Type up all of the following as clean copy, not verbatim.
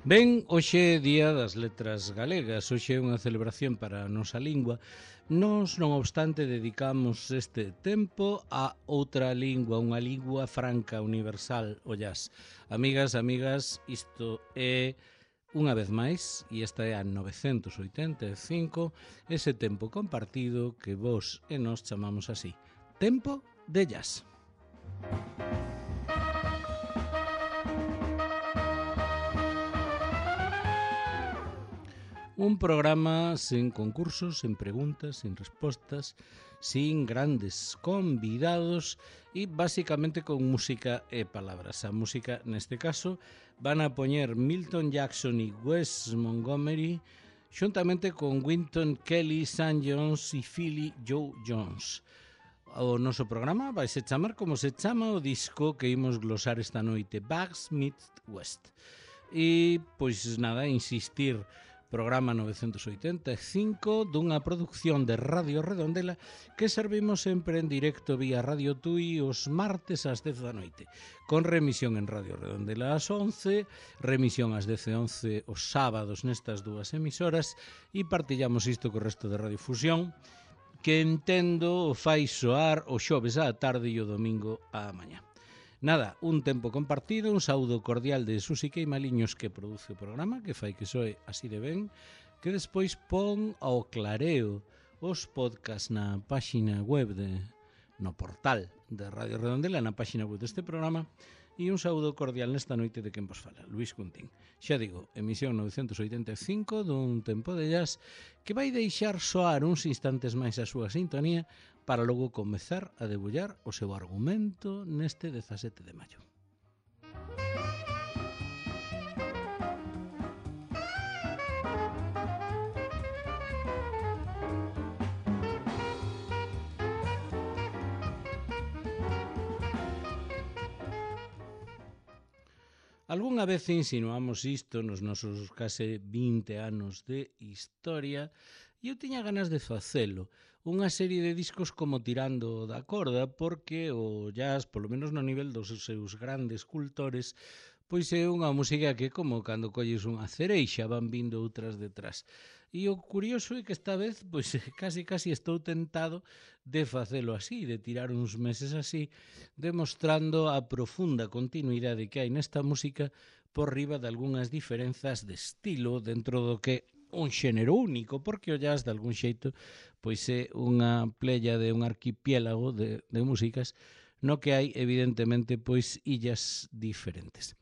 Ben, hoxe é Día das Letras Galegas, hoxe é unha celebración para a nosa lingua. Nós, non obstante, dedicamos este tempo a outra lingua, unha lingua franca, universal, o jazz. Amigas, isto é, unha vez máis, e esta é a 985, ese tempo compartido que vos e nós chamamos así, Tempo de Jazz. Un programa sen concursos, sen preguntas, sen respostas, sin grandes convidados e basicamente con música e palabras. A música, neste caso, van a poñer Milton Jackson e Wes Montgomery xuntamente con Wynton Kelly, Sam Jones e Philly Joe Jones. O noso programa vai se chamar como se chama o disco que imos glosar esta noite, Bags Meet West. E, pois nada, insistir, programa 985 dunha produción de Radio Redondela que servimos sempre en directo vía Radio Tui os martes ás 10 da noite, con remisión en Radio Redondela ás 11, remisión ás 10:11 os sábados nestas dúas emisoras e partillamos isto co resto de Radiofusión, que entendo fai soar o xoves á tarde e o domingo á mañá. Nada, un tempo compartido, un saúdo cordial de Susi Queimaliños que produce o programa, que fai que soe así de ben, que despois pon ao clareo os podcast na páxina web no portal de Radio Redondela, na páxina web deste programa, e un saúdo cordial nesta noite de quen vos fala, Luís Cuntín. Xa digo, emisión 985 dun tempo de jazz que vai deixar soar uns instantes máis a súa sintonía para logo comezar a debullar o seu argumento neste 17 de maio. Algúnha vez insinuamos isto nos nosos case 20 anos de historia e eu tiña ganas de facelo. Unha serie de discos como tirando da corda porque o jazz, polo menos no nivel dos seus grandes cultores, pois é unha música que como cando colles unha cereixa van vindo outras detrás. E o curioso é que esta vez pois casi estou tentado de facelo así, de tirar uns meses así, demostrando a profunda continuidade que hai nesta música por riba de algunhas diferenzas de estilo dentro do que un xénero único, porque o jazz de algún xeito pois é unha playa de un arquipiélago de músicas no que hai evidentemente pois illas diferentes.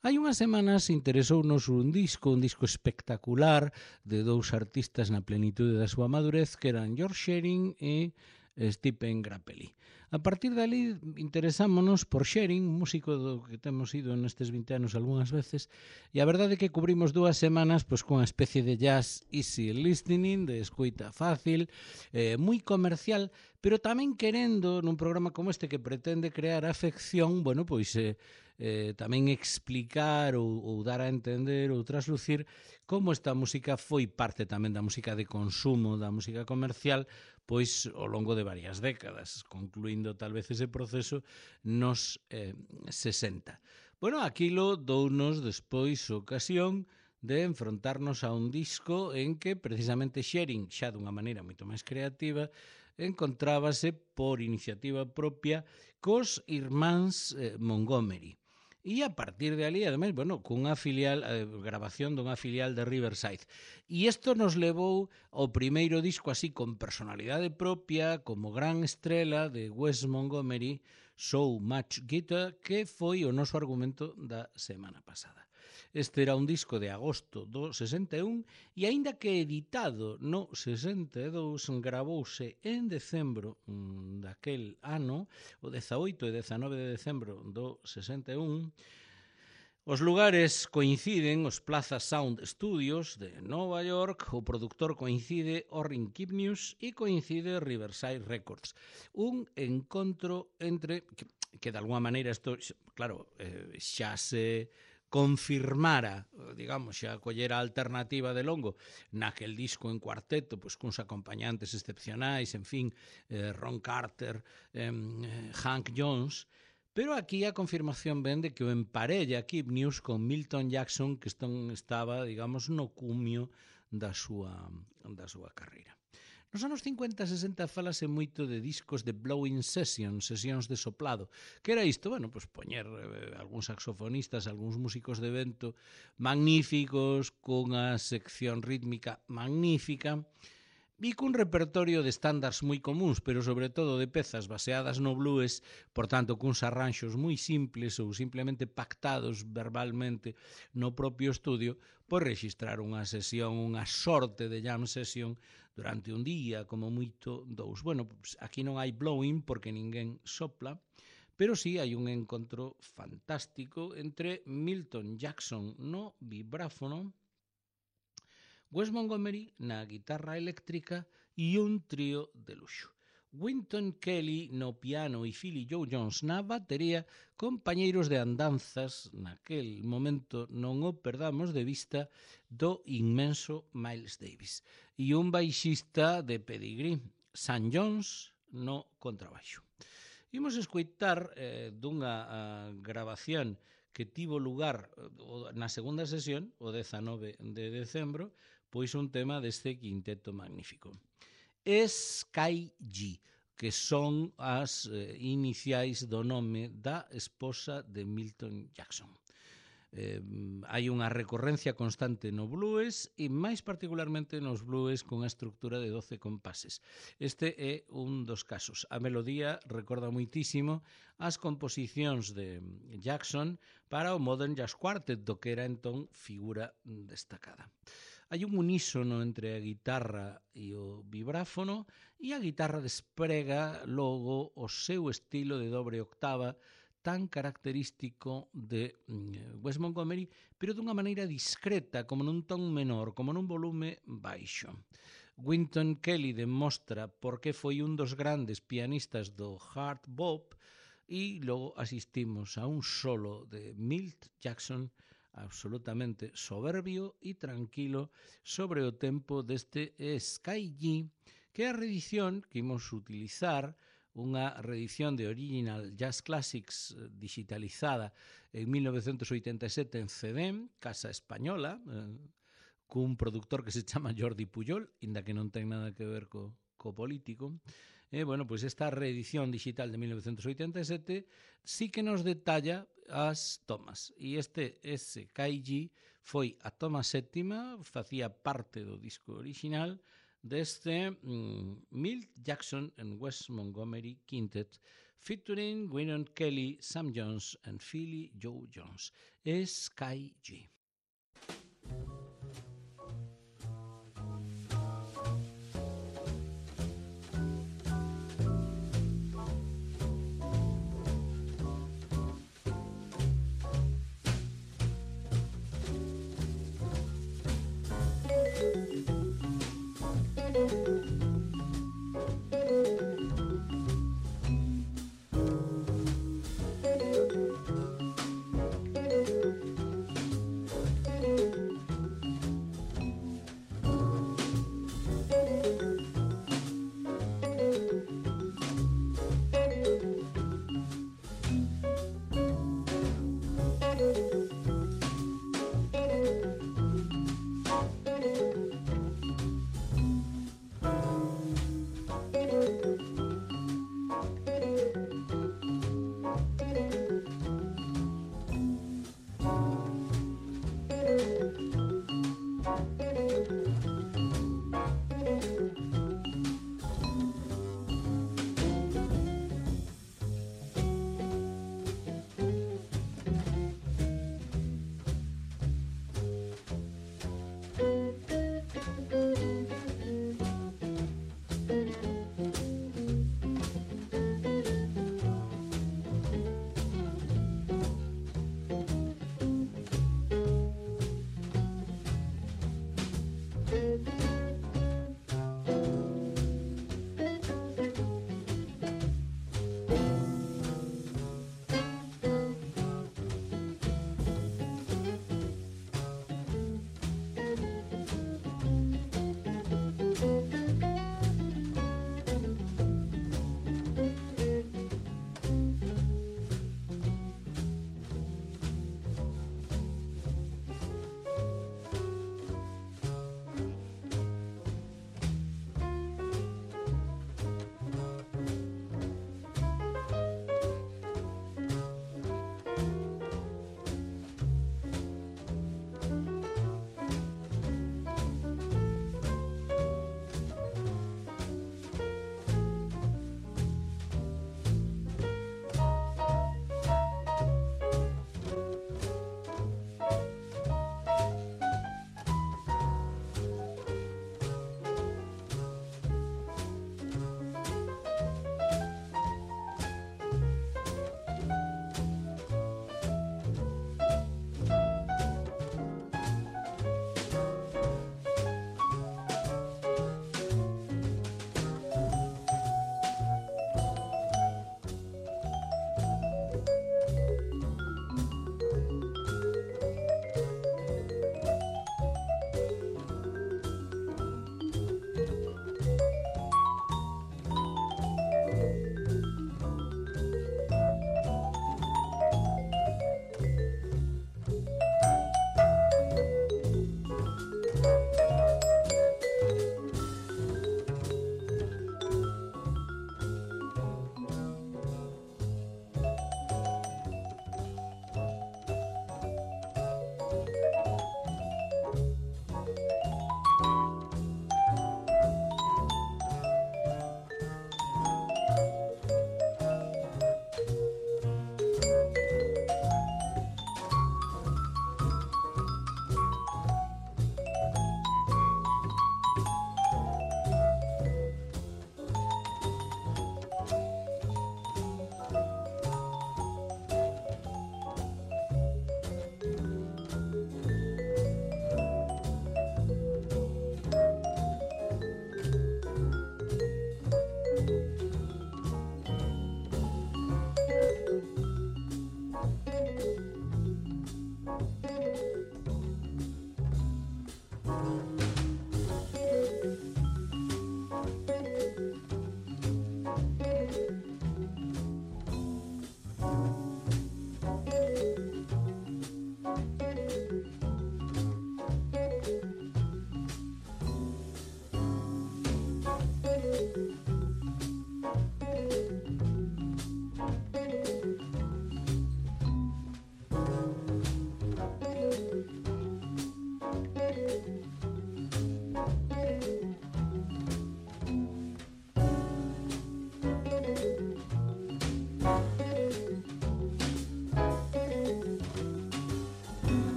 Hai unhas semanas interesounos un disco espectacular de dous artistas na plenitude da súa madurez que eran George Shearing e Stephen Grappelli. A partir dali interesámonos por Shearing, músico do que temos ido nestes 20 anos algunhas veces, e a verdade é que cubrimos 2 semanas pois cunha especie de jazz easy listening, de escuita fácil, moi comercial, pero tamén querendo nun programa como este que pretende crear afección, bueno, pois tamén explicar ou dar a entender ou traslucir como esta música foi parte tamén da música de consumo, da música comercial, pois ao longo de varias décadas, concluindo tal vez ese proceso nos 60. Bueno, aquilo dounos despois ocasión de enfrontarnos a un disco en que precisamente Shearing, xa dunha maneira moito máis creativa, encontrábase por iniciativa propia cos irmáns Montgomery. E a partir de ali, ademais, bueno, cunha filial, grabación dunha filial de Riverside. E isto nos levou ao primeiro disco así con personalidade propia, como gran estrela de Wes Montgomery, So Much Guitar, que foi o noso argumento da semana pasada. Este era un disco de agosto do 61 e aínda que editado no 62 gravouse en decembro daquel ano, o 18 e 19 de decembro do 61. Os lugares coinciden, os Plaza Sound Studios de Nova York, o produtor coincide Orrin Kipnius e coincide Riverside Records. Un encontro entre, que de alguma maneira isto, claro, xa se confirmara, digamos, xa collera a alternativa de longo naquel disco en cuarteto, pois cuns acompañantes excepcionais, en fin, Ron Carter, Hank Jones, Pero aquí a confirmación ven de que o emparella Keep News con Milton Jackson, que estaba, digamos, no cumio da súa carreira. Nos anos 50 e 60 falase moito de discos de blowing sessions, sesións de soplado. Que era isto? Bueno, pois poñer algúns saxofonistas, algúns músicos de vento magníficos, cunha sección rítmica magnífica, e cun repertorio de estándares moi comuns, pero sobre todo de pezas baseadas no blues, por tanto, cuns arranxos moi simples ou simplemente pactados verbalmente no propio estudio, por registrar unha sesión, unha sorte de jam session durante un día, como moito dous. Bueno, pues aquí non hai blowing porque ninguén sopla, pero sí hai un encontro fantástico entre Milton Jackson no vibráfono, Wes Montgomery na guitarra eléctrica e un trío de luxo. Wynton Kelly no piano e Philly Joe Jones na batería, compañeiros de andanzas naquel momento, non o perdamos de vista, do inmenso Miles Davis. E un baixista de pedigrí, Sam Jones, no contrabaixo. Imos escoitar dunha grabación que tivo lugar na segunda sesión, o 19 de decembro, pois un tema deste quinteto magnífico. Sky G, que son as iniciais do nome da esposa de Milton Jackson. Hai unha recorrencia constante no blues e máis particularmente nos blues con a estructura de 12 compases. Este é un dos casos. A melodía recorda moitísimo as composicións de Jackson para o Modern Jazz Quartet, do que era entón figura destacada. Hai un unísono entre a guitarra e o vibráfono e a guitarra desprega logo o seu estilo de dobre octava tan característico de Wes Montgomery, pero dunha maneira discreta, como nun ton menor, como nun volume baixo. Wynton Kelly demostra por que foi un dos grandes pianistas do hard bop e logo asistimos a un solo de Milt Jackson absolutamente soberbio e tranquilo sobre o tempo deste Sky G, que é a reedición que imos utilizar, unha reedición de Original Jazz Classics digitalizada en 1987 en CD, Casa Española, cun productor que se chama Jordi Pujol, inda que non ten nada que ver co político. Bueno, pois esta reedición digital de 1987 sí que nos detalla as tomas. E este SKG foi a toma séptima, facía parte do disco original deste Milt Jackson and Wes Montgomery Quintet, featuring Wynton Kelly, Sam Jones and Philly Joe Jones. SKG.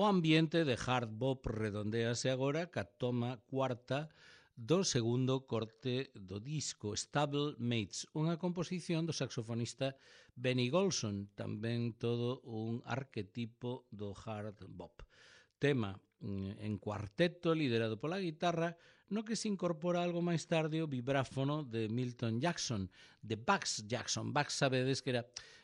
O ambiente de hard bop redondease agora ca toma cuarta do segundo corte do disco, Stable Mates, unha composición do saxofonista Benny Golson, tamén todo un arquetipo do hard bop. Tema en cuarteto liderado pola guitarra, no que se incorpora algo máis tarde o vibráfono de Milton Jackson, de Bugs Jackson. Bugs, sabedes que era...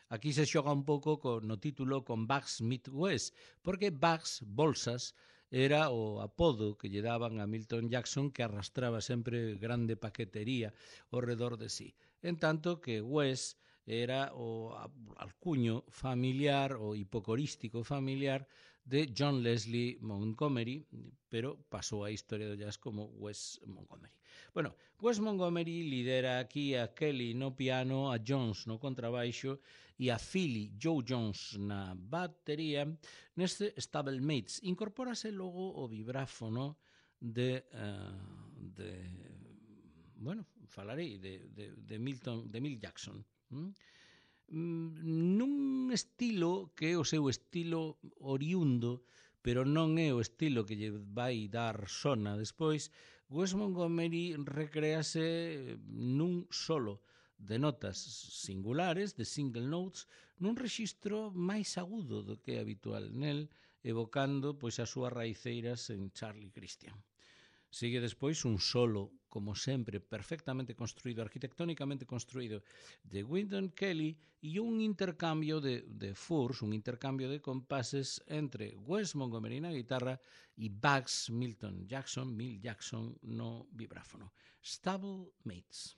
Aquí se xoga un pouco no título con Bugs Meet West, porque Bugs, Bolsas, era o apodo que lle daban a Milton Jackson, que arrastraba sempre grande paquetería ao redor de sí. En tanto que West era o alcuño familiar, o hipocorístico familiar de John Leslie Montgomery, pero pasou a historia do jazz como Wes Montgomery. Bueno, Wes Montgomery lidera aquí a Kelly no piano, a Jones no contrabaixo e a Philly Joe Jones na batería neste Stable Mates. Incorpórase logo o vibráfono de falarei de Mill Jackson. Nun estilo que é o seu estilo oriundo, pero non é o estilo que lle vai dar sona despois. Wes Montgomery recréase nun solo de notas singulares, de single notes, nun rexistro máis agudo do que é habitual nel, evocando pois as súas raiceiras en Charlie Christian. Sigue despois un solo, como sempre, perfectamente construído, arquitectónicamente construído, de Wynton Kelly e un intercambio de furs, un intercambio de compases entre Wes Montgomery na guitarra e Bugs Milton Jackson, Mill Jackson no vibráfono. Stable Mates.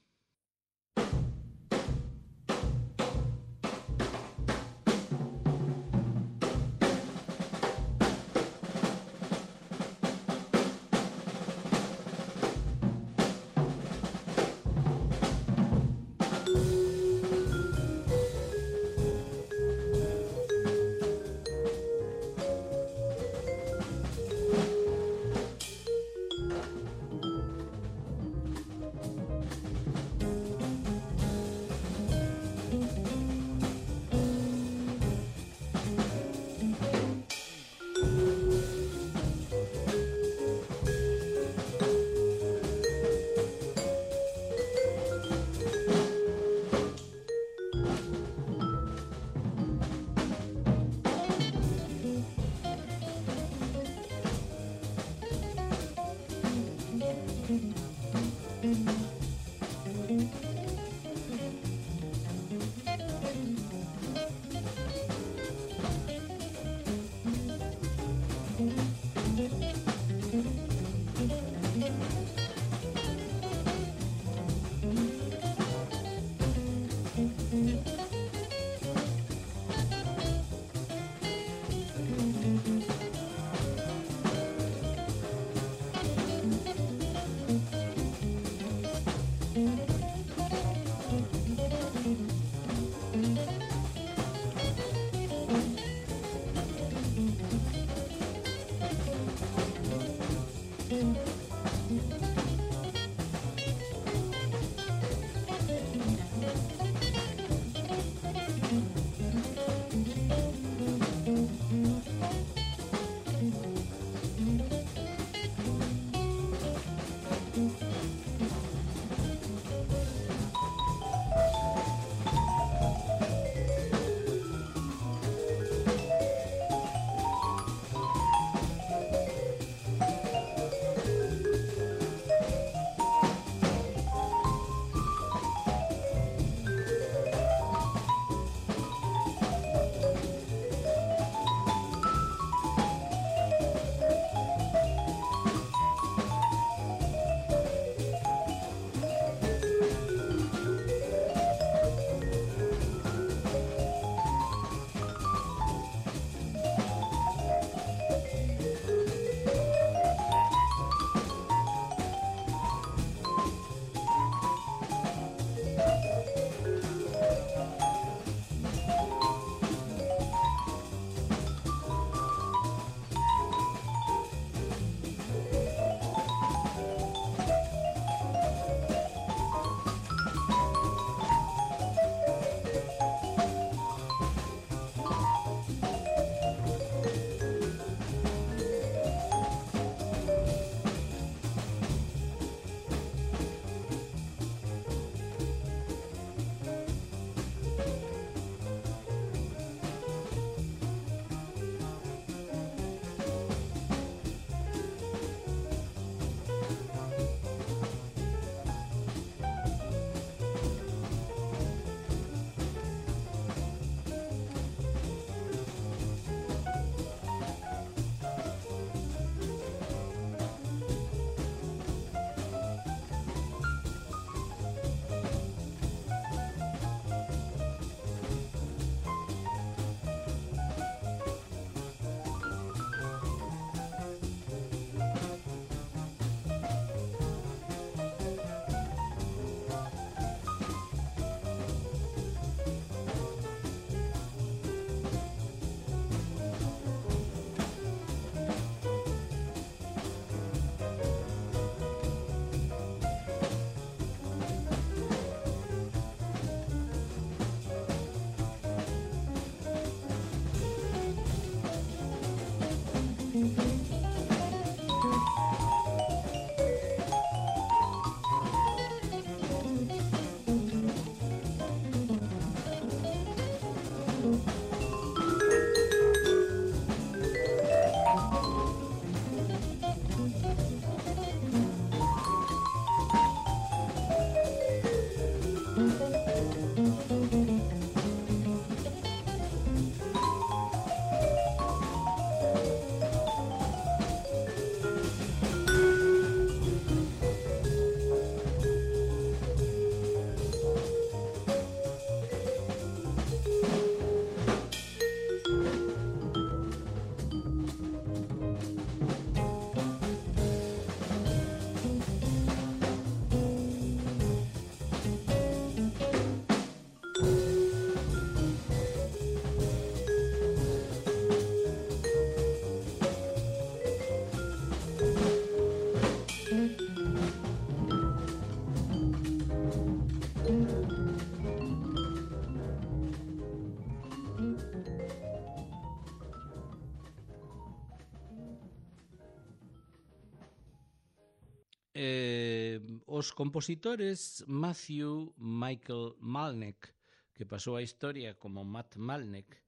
Os compositores Matthew Michael Malneck, que pasou a historia como Matt Malneck,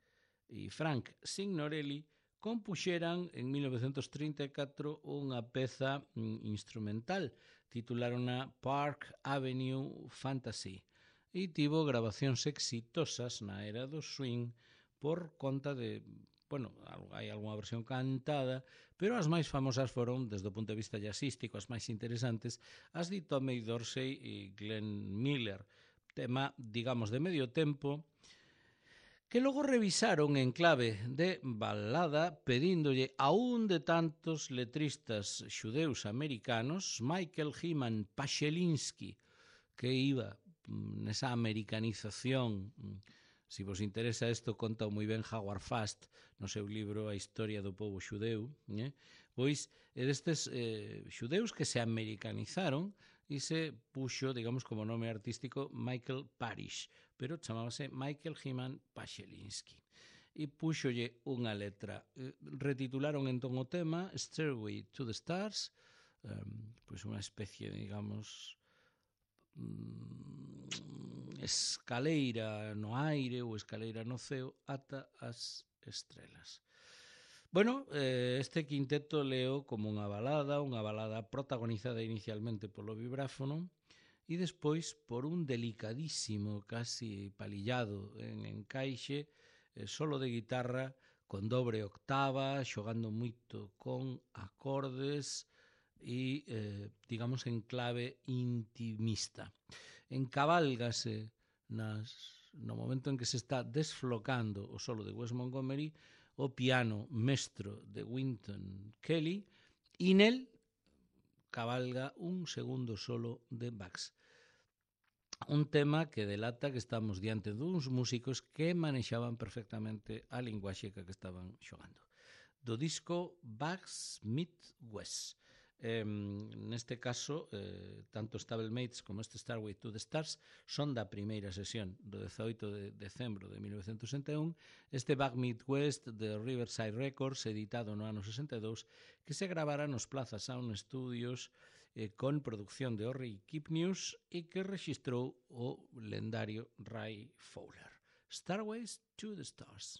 e Frank Signorelli, compuxeran en 1934 unha peza instrumental, titulárona Park Avenue Fantasy, e tivo grabacións exitosas na era do swing por conta de, bueno, hai algunha versión cantada, pero as máis famosas foron, desde o punto de vista jazzístico, as máis interesantes, as de Tommy Dorsey e Glenn Miller, tema, digamos, de medio tempo, que logo revisaron en clave de balada pedíndolle a un de tantos letristas xudeus americanos, Michael Hyman Pachelinsky, que iba nesa americanización. Se vos interesa isto, conta moi ben Howard Fast no seu libro A historia do povo xudeu, pois é destes xudeus que se americanizaron e se puxo, digamos, como nome artístico Michael Parish, pero chamábase Michael Hyman Pachelinsky. E puxolle unha letra. Retitularon entón o tema Stairway to the Stars, pois unha especie, digamos, escaleira no aire ou escaleira no ceo ata as estrelas. Bueno, este quinteto leo como unha balada protagonizada inicialmente polo vibráfono e despois por un delicadísimo, casi palillado en encaixe, solo de guitarra con dobre octava, xogando moito con acordes e, digamos, en clave intimista. Encabálgase no momento en que se está desflocando o solo de Wes Montgomery o piano mestro de Wynton Kelly e nel cabalga un segundo solo de Bax. Un tema que delata que estamos diante duns músicos que manexaban perfectamente a linguaxe que estaban xogando. Do disco Bax meet Wes. Neste caso, tanto Stablemates como este Stairway to the Stars son da primeira sesión do 18 de decembro de 1961, este Back Meet West de Riverside Records, editado no ano 62, que se gravara nos Plaza Sound Studios con producción de Orry Kipnius e que registrou o lendario Ray Fowler. Stairways to the Stars.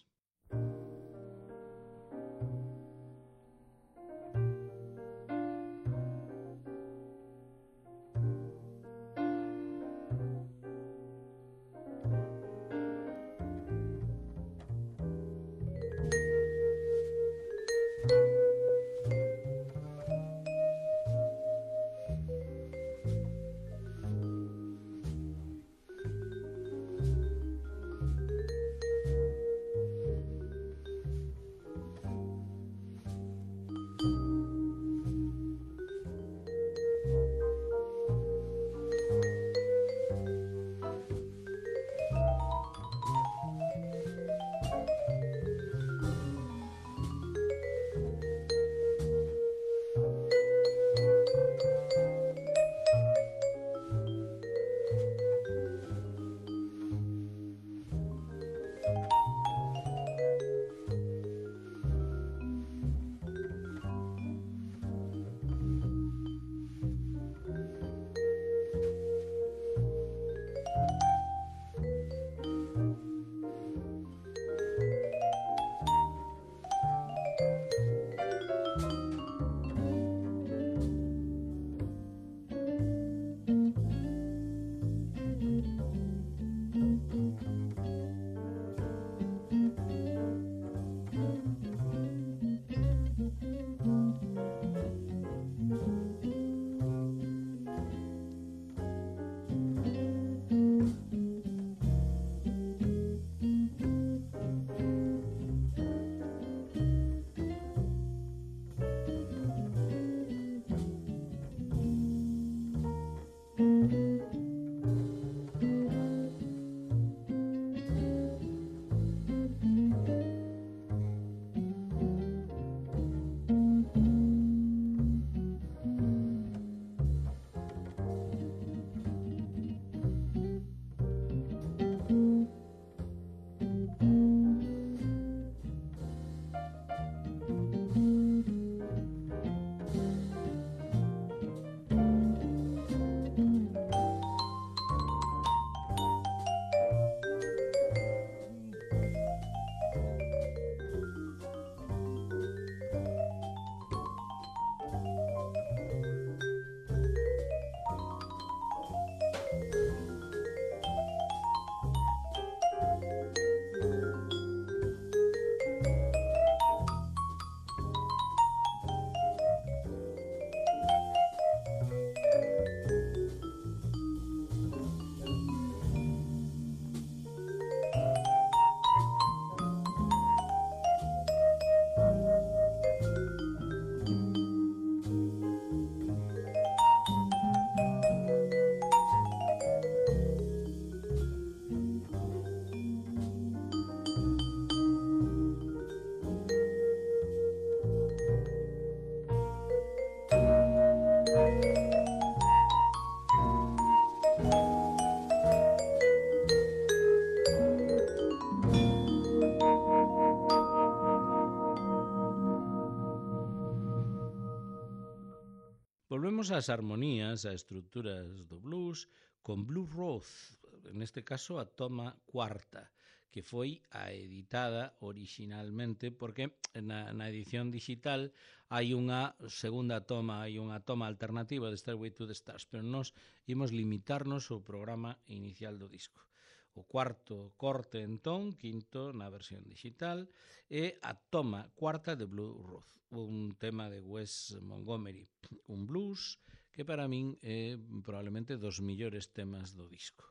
Temos as armonías, as estruturas do blues con Blue Rose, neste caso a toma cuarta, que foi a editada originalmente, porque na edición digital hai unha segunda toma, hai unha toma alternativa de Stairway to the Stars, pero nós imos limitarnos ao programa inicial do disco. O cuarto corte, entón, quinto na versión digital, é a toma cuarta de Blue Rose, un tema de Wes Montgomery, un blues que para min é probablemente dos millores temas do disco,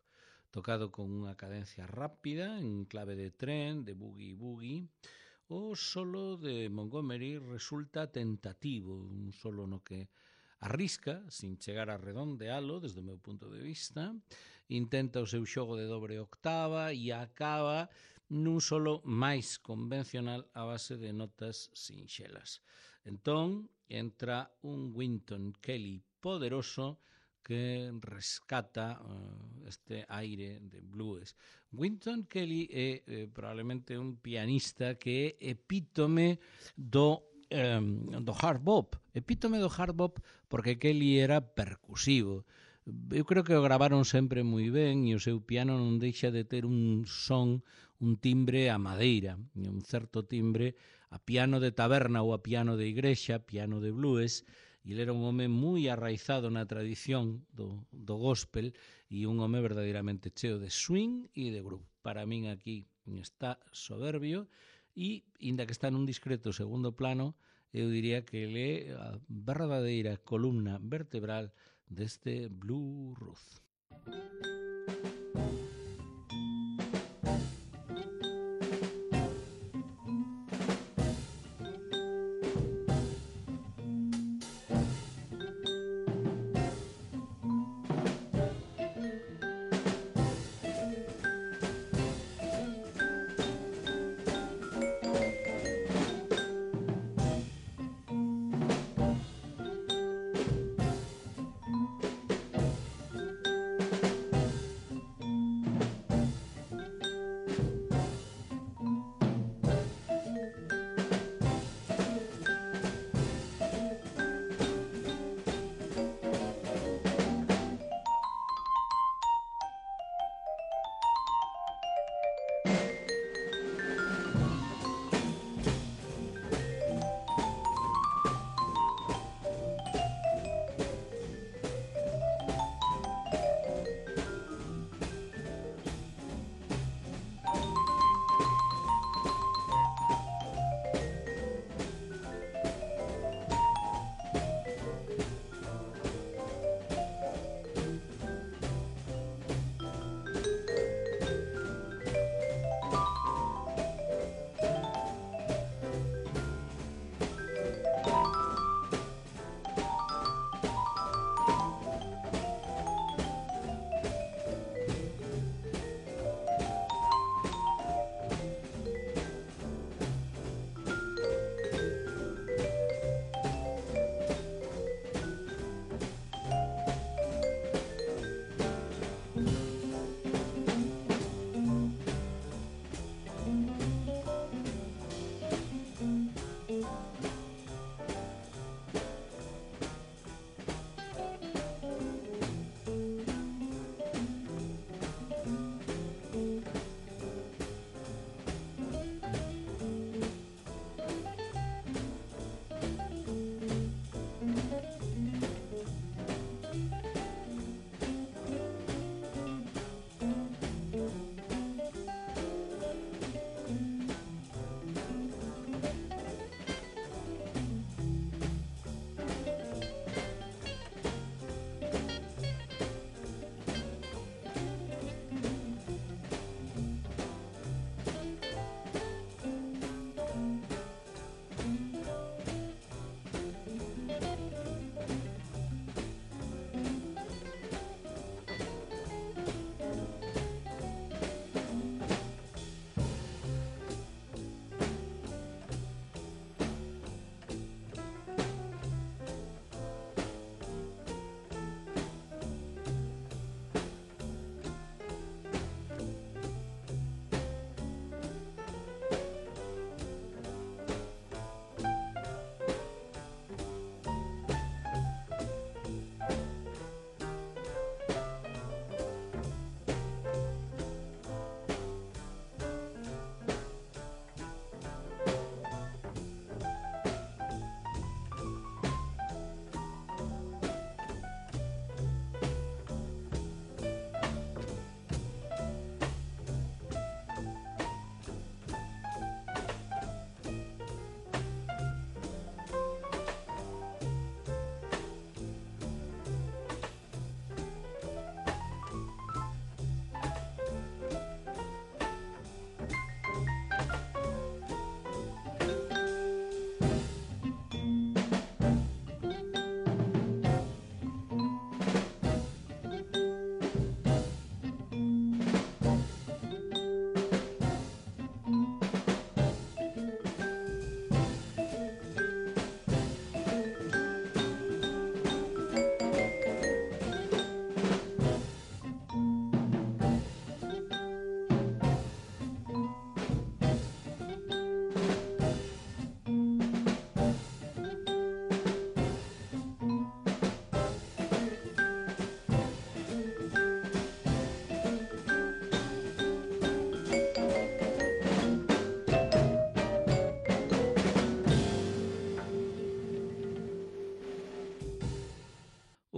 tocado con unha cadencia rápida en clave de tren, de boogie-boogie. O solo de Montgomery resulta tentativo, un solo no que arrisca, sin chegar a redondealo desde o meu punto de vista, intenta o seu xogo de dobre octava e acaba nun solo máis convencional a base de notas sinxelas. Entón, entra un Wynton Kelly poderoso que rescata este aire de blues. Wynton Kelly é probablemente un pianista que é epítome do hard bop. Epítome do hard bop porque Kelly era percusivo. Eu creo que o gravaron sempre moi ben e o seu piano non deixa de ter un son, un timbre a madeira, un certo timbre a piano de taberna ou a piano de igrexa, piano de blues. E ele era un home moi arraizado na tradición do gospel e un home verdadeiramente cheo de swing e de groove. Para min aquí está soberbio e, inda que está nun discreto segundo plano, eu diría que ele é a verdadeira columna vertebral deste Blue Rose.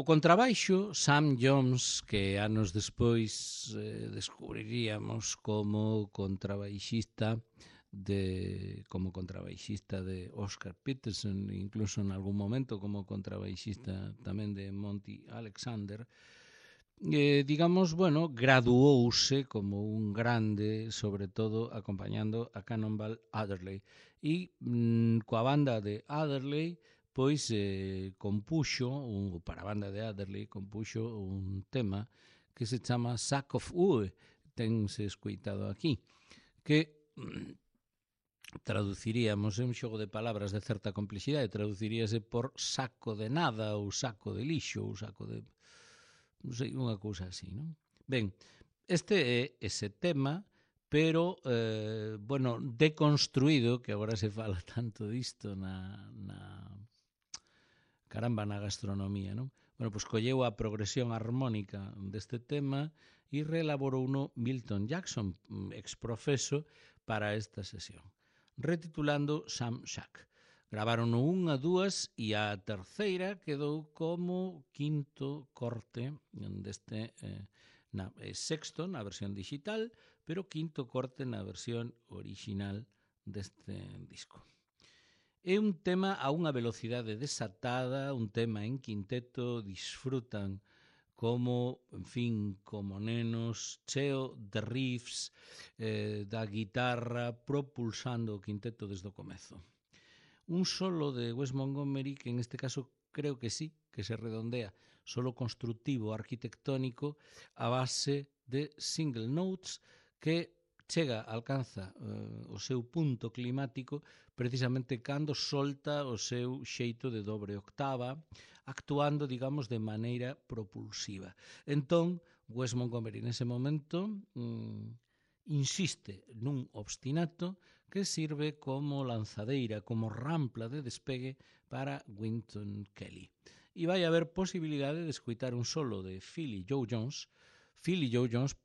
contrabaixo, Sam Jones, que anos despois descubriríamos como contrabaixista de Oscar Peterson, incluso en algún momento como contrabaixista tamén de Monty Alexander, digamos, bueno, graduouse como un grande, sobre todo acompañando a Cannonball Adderley. E coa banda de Adderley, pois para a banda de Adderley, compuxo un tema que se chama Sack of Wood, tense escoitado aquí, que traduciríamos, é un xogo de palabras de certa complexidade, traduciríase por saco de nada, ou saco de lixo, ou saco de... non sei, unha cousa así, non? Ben, este é ese tema, pero, bueno, deconstruído, que agora se fala tanto disto na gastronomía, non? Bueno, pois colleu a progresión armónica deste tema e reelaborou uno Milton Jackson, exprofeso, para esta sesión, retitulando Sam Shack. Gravaron unha, dúas e a terceira quedou como quinto corte deste sexto na versión digital, pero quinto corte na versión original deste disco. É un tema a unha velocidade desatada, un tema en quinteto, disfrutan como, en fin, como nenos, cheo de riffs da guitarra propulsando o quinteto desde o comezo. Un solo de Wes Montgomery que en este caso creo que sí, que se redondea, solo constructivo, arquitectónico, a base de single notes que alcanza o seu punto climático precisamente cando solta o seu xeito de dobre octava, actuando, digamos, de maneira propulsiva. Entón, Wes Montgomery nese momento insiste nun obstinato que sirve como lanzadeira, como rampla de despegue para Wynton Kelly. E vai haber posibilidade de escoitar un solo de Philly Joe Jones. Philly Joe Jones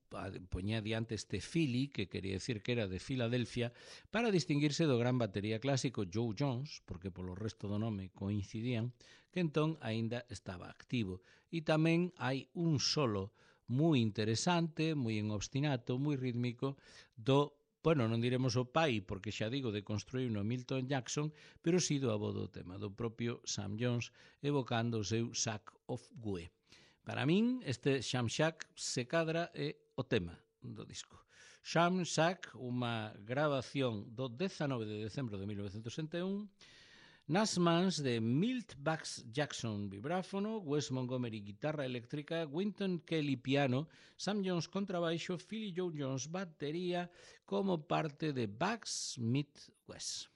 poñía diante este Philly, que quería decir que era de Filadelfia, para distinguirse do gran batería clásico Joe Jones, porque polo resto do nome coincidían, que entón aínda estaba activo. E tamén hai un solo moi interesante, moi en obstinato, moi rítmico, bueno, non diremos o pai, porque xa digo, de construir no Milton Jackson, pero sí do avó do tema, do propio Sam Jones, evocando o seu Sack of Wood. Para min, este Sam Shack se cadra é o tema do disco. Sam Shack, unha grabación do 19 de decembro de 1961, nas mans de Milt Bugs Jackson vibráfono, Wes Montgomery guitarra eléctrica, Wynton Kelly piano, Sam Jones contrabaixo, Philly Joe Jones batería como parte de Bugs meet Wes.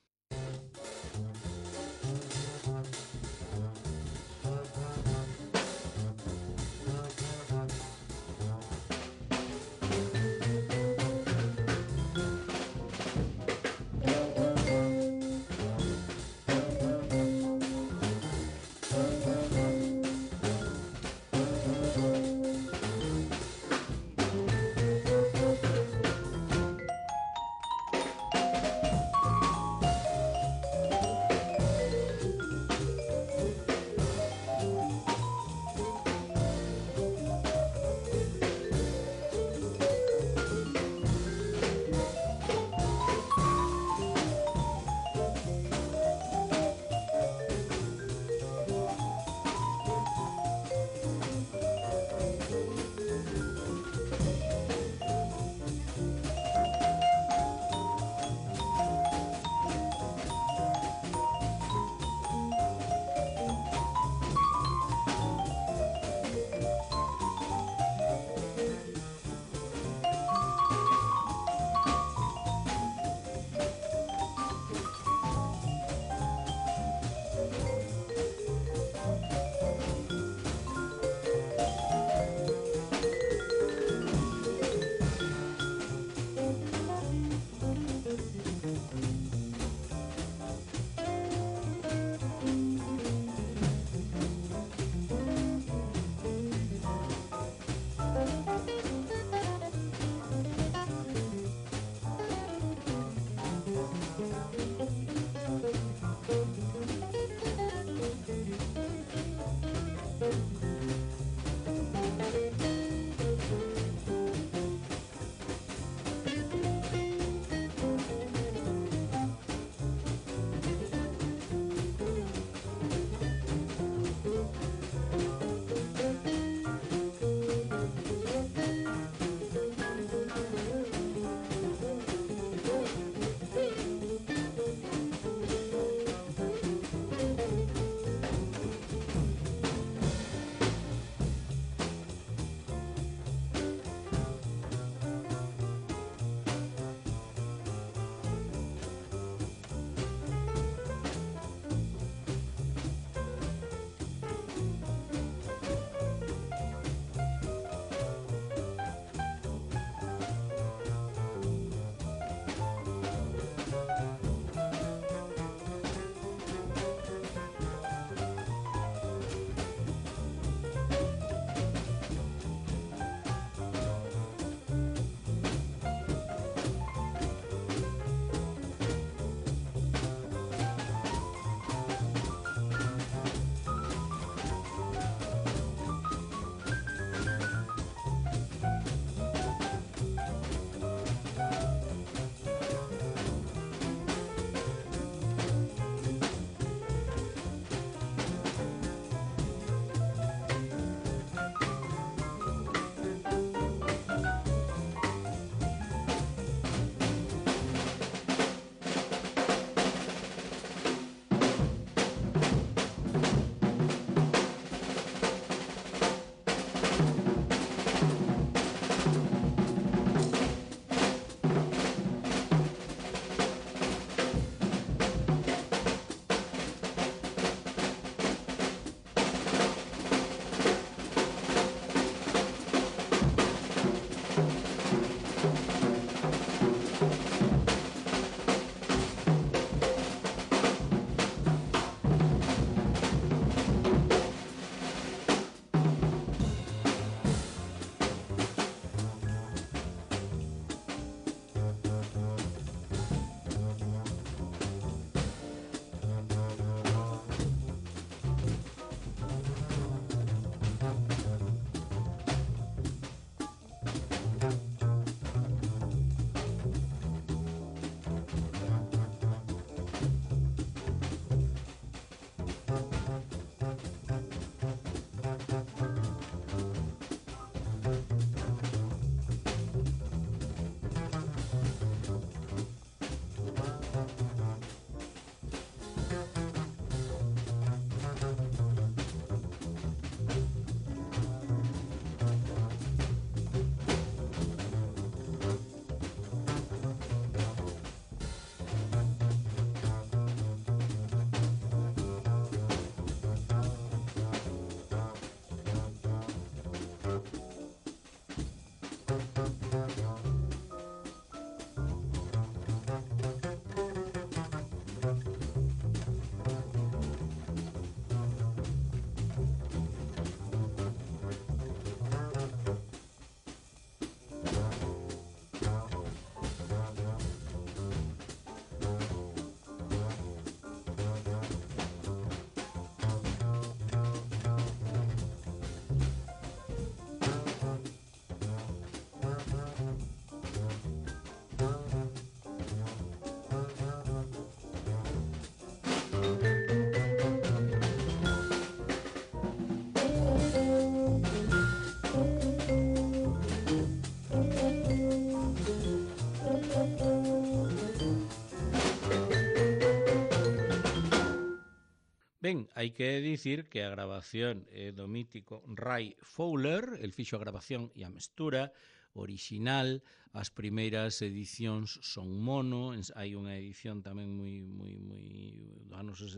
Ben, hai que dicir que a grabación é do mítico Ray Fowler, el fixo a grabación e a mestura orixinal. As primeiras edicións son mono, hai unha edición tamén moi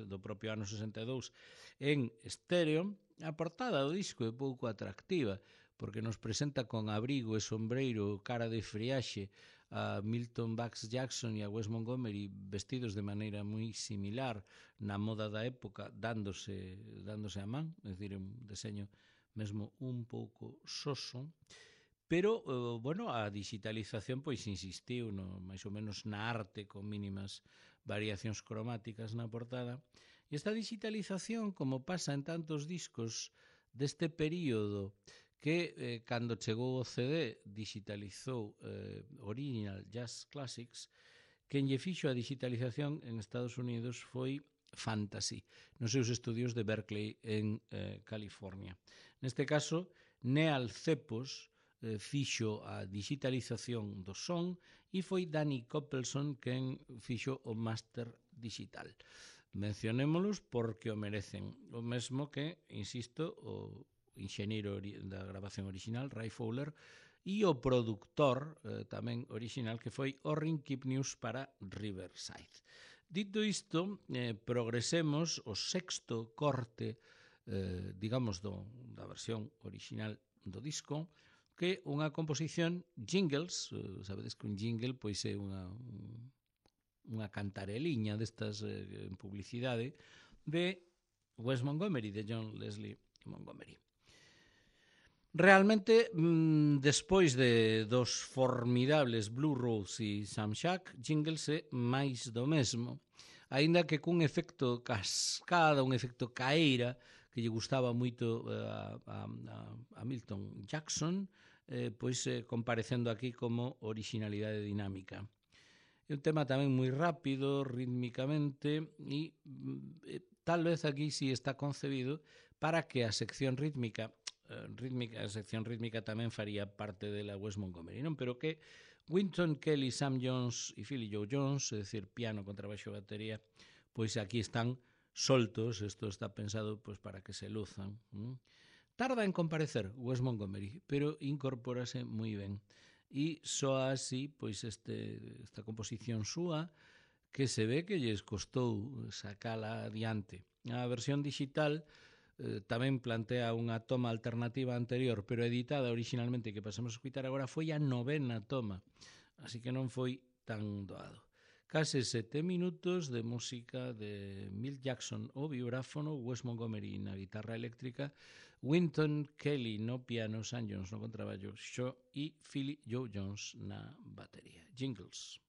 do propio ano 62 en estéreo. A portada do disco é pouco atractiva, porque nos presenta con abrigo e sombreiro cara de friaxe a Milton Bax Jackson e a Wes Montgomery vestidos de maneira moi similar na moda da época, dándose a man, é dicir, un deseño mesmo un pouco soso, pero, bueno, a digitalización pois insistiu máis ou menos na arte con mínimas variacións cromáticas na portada. E esta digitalización, como pasa en tantos discos deste período, que cando chegou o CD digitalizou Original Jazz Classics, quen lle fixo a digitalización en Estados Unidos foi Fantasy, nos seus estudios de Berkeley en California. Neste caso, Neal Cepos fixo a digitalización do son e foi Danny Coppelson quen fixo o máster digital. Mencionémolos porque o merecen, o mesmo que, insisto, o enxeñeiro da grabación original, Ray Fowler, e o produtor tamén original, que foi Orrin Kipnius para Riverside. Dito isto, progresemos o sexto corte, digamos, da versión original do disco, que é unha composición jingles. Sabedes que un jingle pois é unha cantareliña destas en publicidade de Wes Montgomery, de John Leslie Montgomery. Realmente, despois dos formidables Blue Rose e Sam Shack, Jingles é máis do mesmo, aínda que cun efecto cascada, un efecto caeira, que lle gustaba moito a Milton Jackson, pois comparecendo aquí como originalidade dinámica. É un tema tamén moi rápido, rítmicamente, e tal vez aquí sí está concebido para que a sección rítmica tamén faría parte de la Wes Montgomery, non? Pero que Wynton Kelly, Sam Jones e Philly Joe Jones, é dicir, piano, contrabaixo, batería, pois aquí están soltos. Isto está pensado pois para que se luzan. Tarda en comparecer Wes Montgomery, pero incorpórase moi ben. E soa así pois esta composición súa, que se ve que lles costou sacala adiante. A versión digital tamén plantea unha toma alternativa anterior, pero editada originalmente, que pasamos a escutar agora, foi a 9ª toma, así que non foi tan doado. Case 7 minutos de música de Milt Jackson ao vibráfono, Wes Montgomery na guitarra eléctrica, Wynton Kelly no piano, Sam Jones no contrabaixo e Philly Joe Jones na batería. Jingles.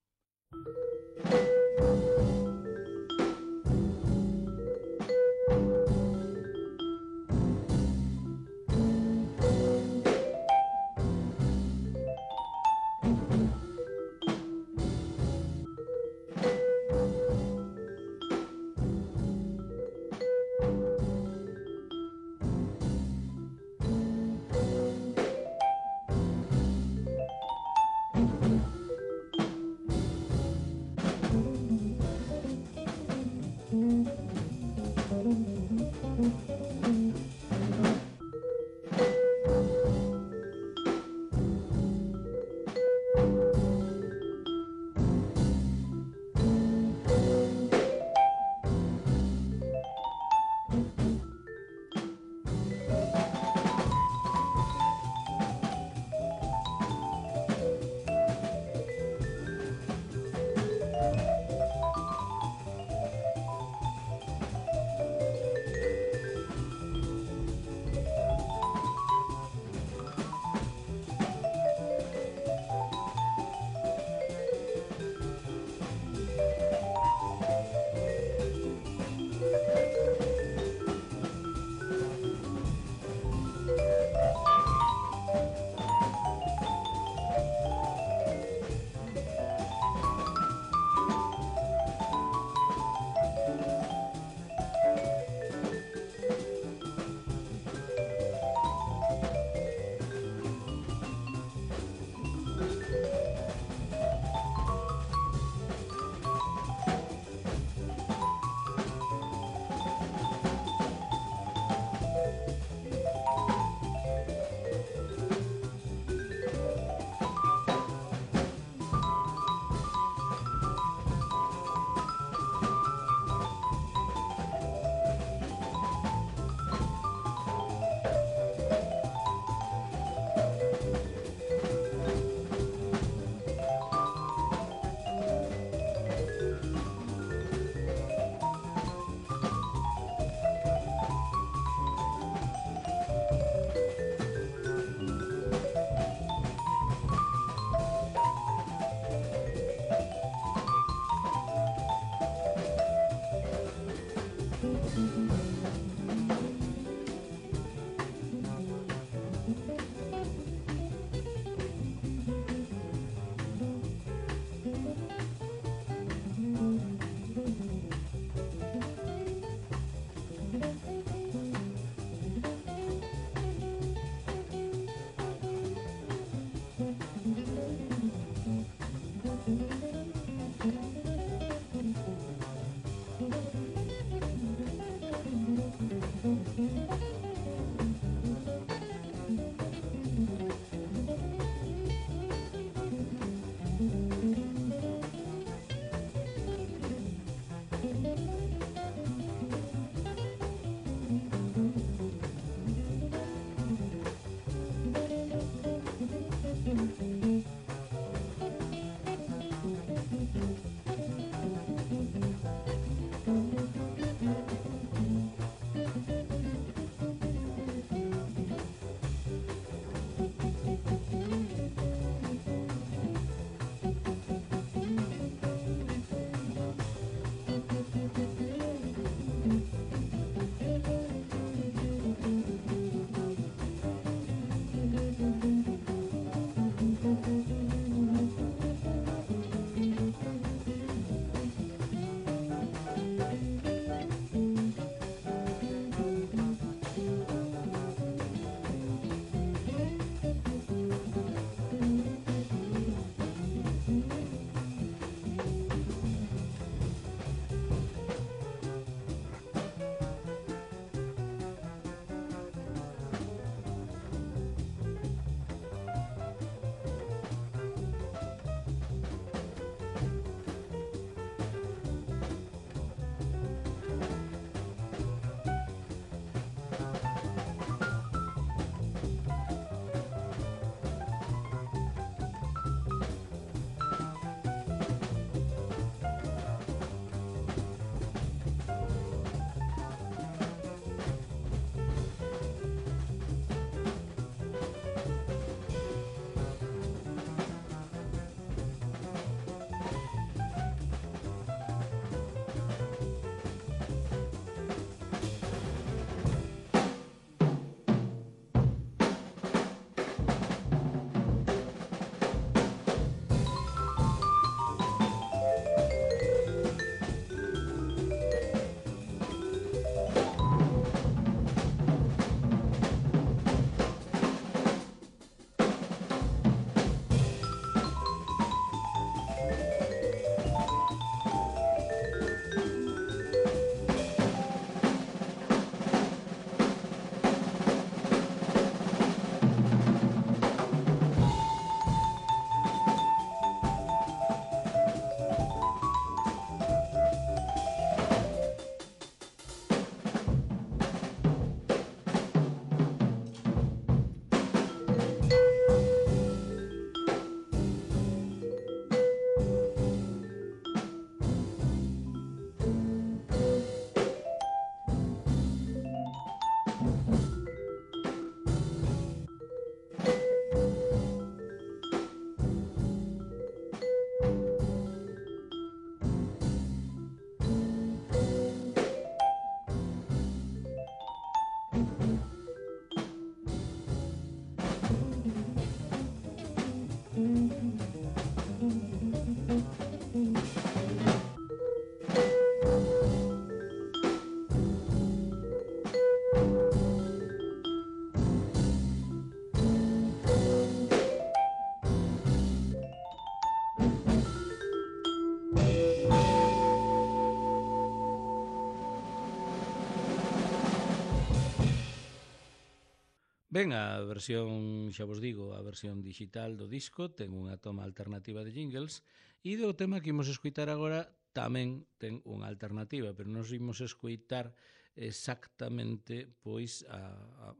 Ben, a versión, xa vos digo, a versión digital do disco ten unha toma alternativa de jingles e do tema que imos escutar agora tamén ten unha alternativa, pero nos imos escutar exactamente pois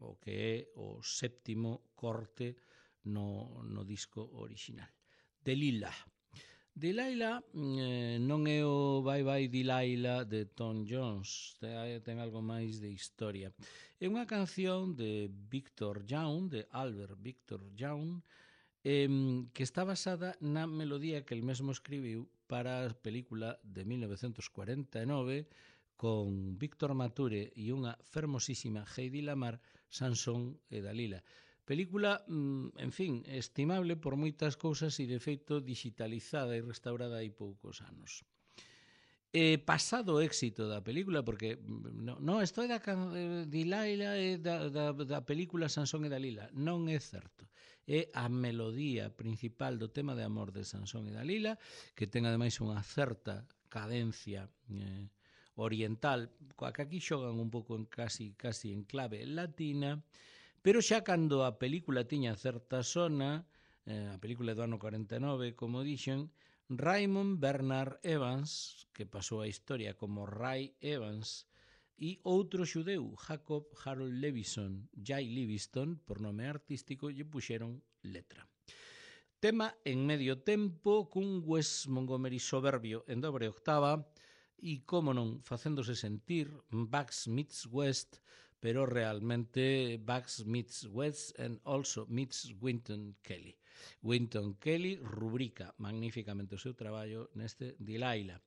o que é o séptimo corte no disco original. Delilah. Delilah non é o Bye Bye Delilah de Tom Jones, ten algo máis de historia. É unha canción de Victor Young, de Albert Victor Young, que está basada na melodía que el mesmo escribiu para a película de 1949 con Víctor Mature e unha fermosísima Heidi Lamar, Sansón e Dalila. Película, en fin, estimable por moitas cousas e de feito digitalizada e restaurada hai poucos anos. Pasado o éxito da película, porque isto é da Delilah e da película Sansón e Dalila, non é certo. É a melodía principal do tema de amor de Sansón e Dalila, que ten ademais unha certa cadencia oriental, coa que aquí xogan un pouco en casi en clave latina, pero xa cando a película tiña certa sona, a película do ano 49, como dixen, Raymond Bernard Evans, que pasou a historia como Ray Evans, e outro xudeu, Jacob Harold Levison, Jay Livingston, por nome artístico, lle puxeron letra. Tema en medio tempo, cun Wes Montgomery soberbio en dobre octava, e, como non, facéndose sentir Bugs meets West, pero realmente Bugs meets West and also meets Wynton Kelly. Wynton Kelly rubrica magníficamente o seu traballo neste Delilah.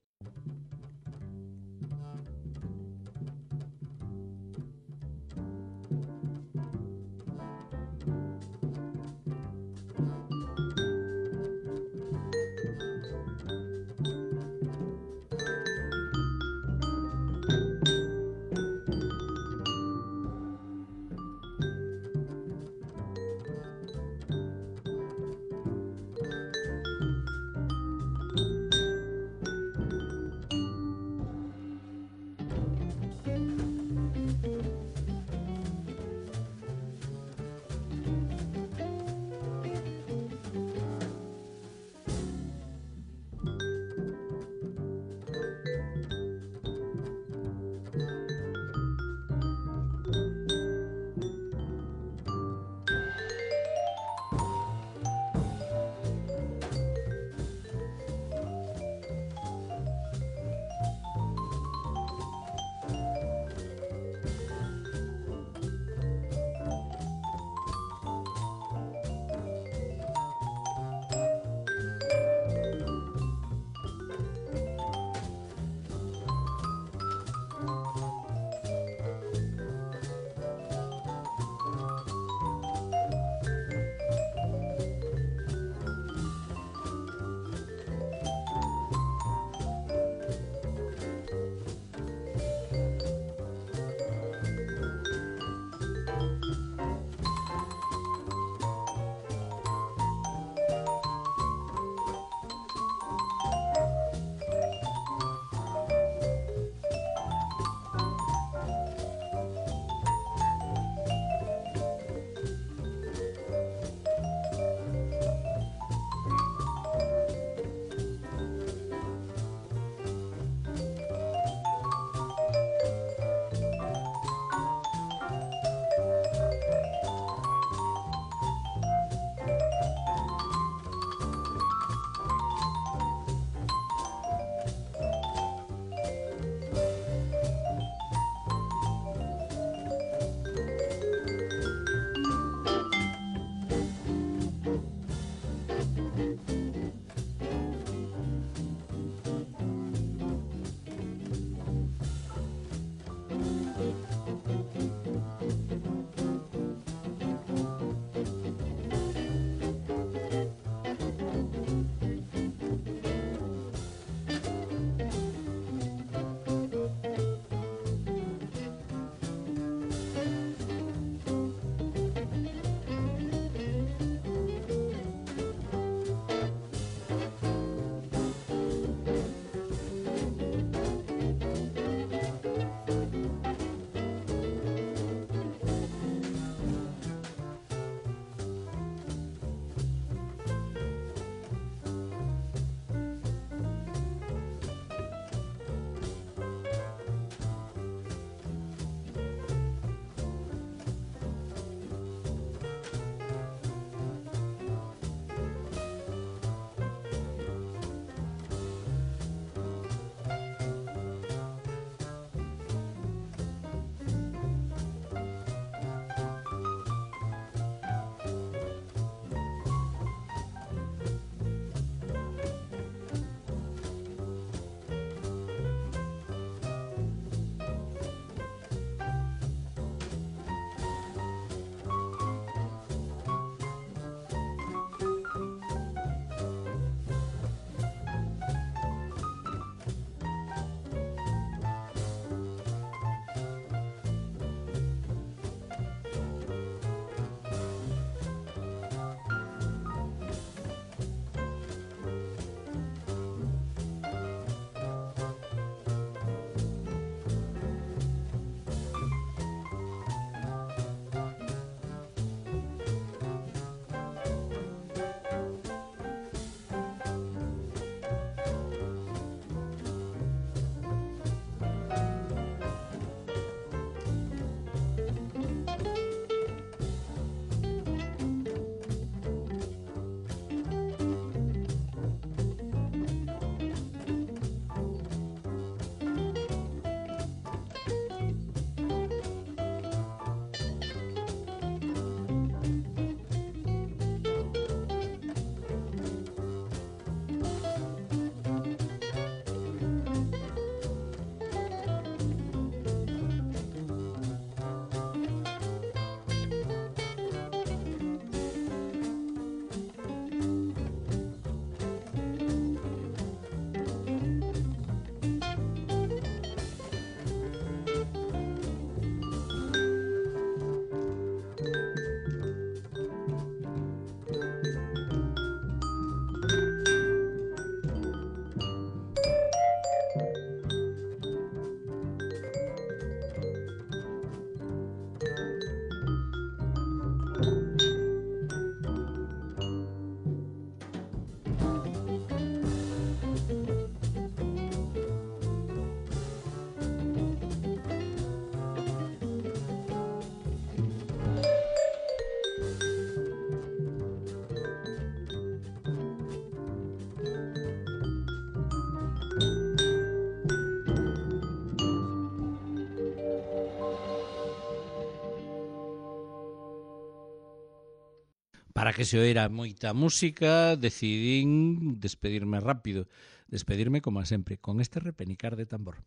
para que se oira moita música, decidín despedirme rápido. Despedirme, como sempre, con este repenicar de tambor.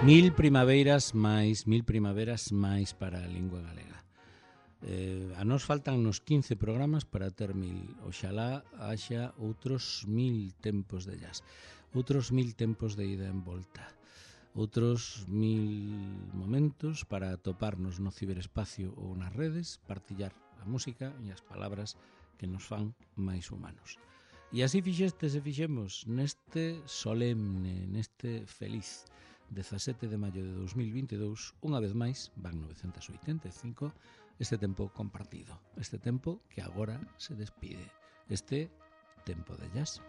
Mil primaveras máis para a lingua galega. A nos faltan nos 15 programas para ter 1000. Oxalá haxa outros 1000 tempos de jazz, outros 1000 tempos de ida en volta, outros 1000 momentos para toparnos no ciberespacio ou nas redes, partillar a música e as palabras que nos fan máis humanos. E así fixestes e fixemos neste solemne, neste feliz 17 de maio de 2022, unha vez máis, van 985, este tempo compartido, este tempo que agora se despide, este tempo de jazz.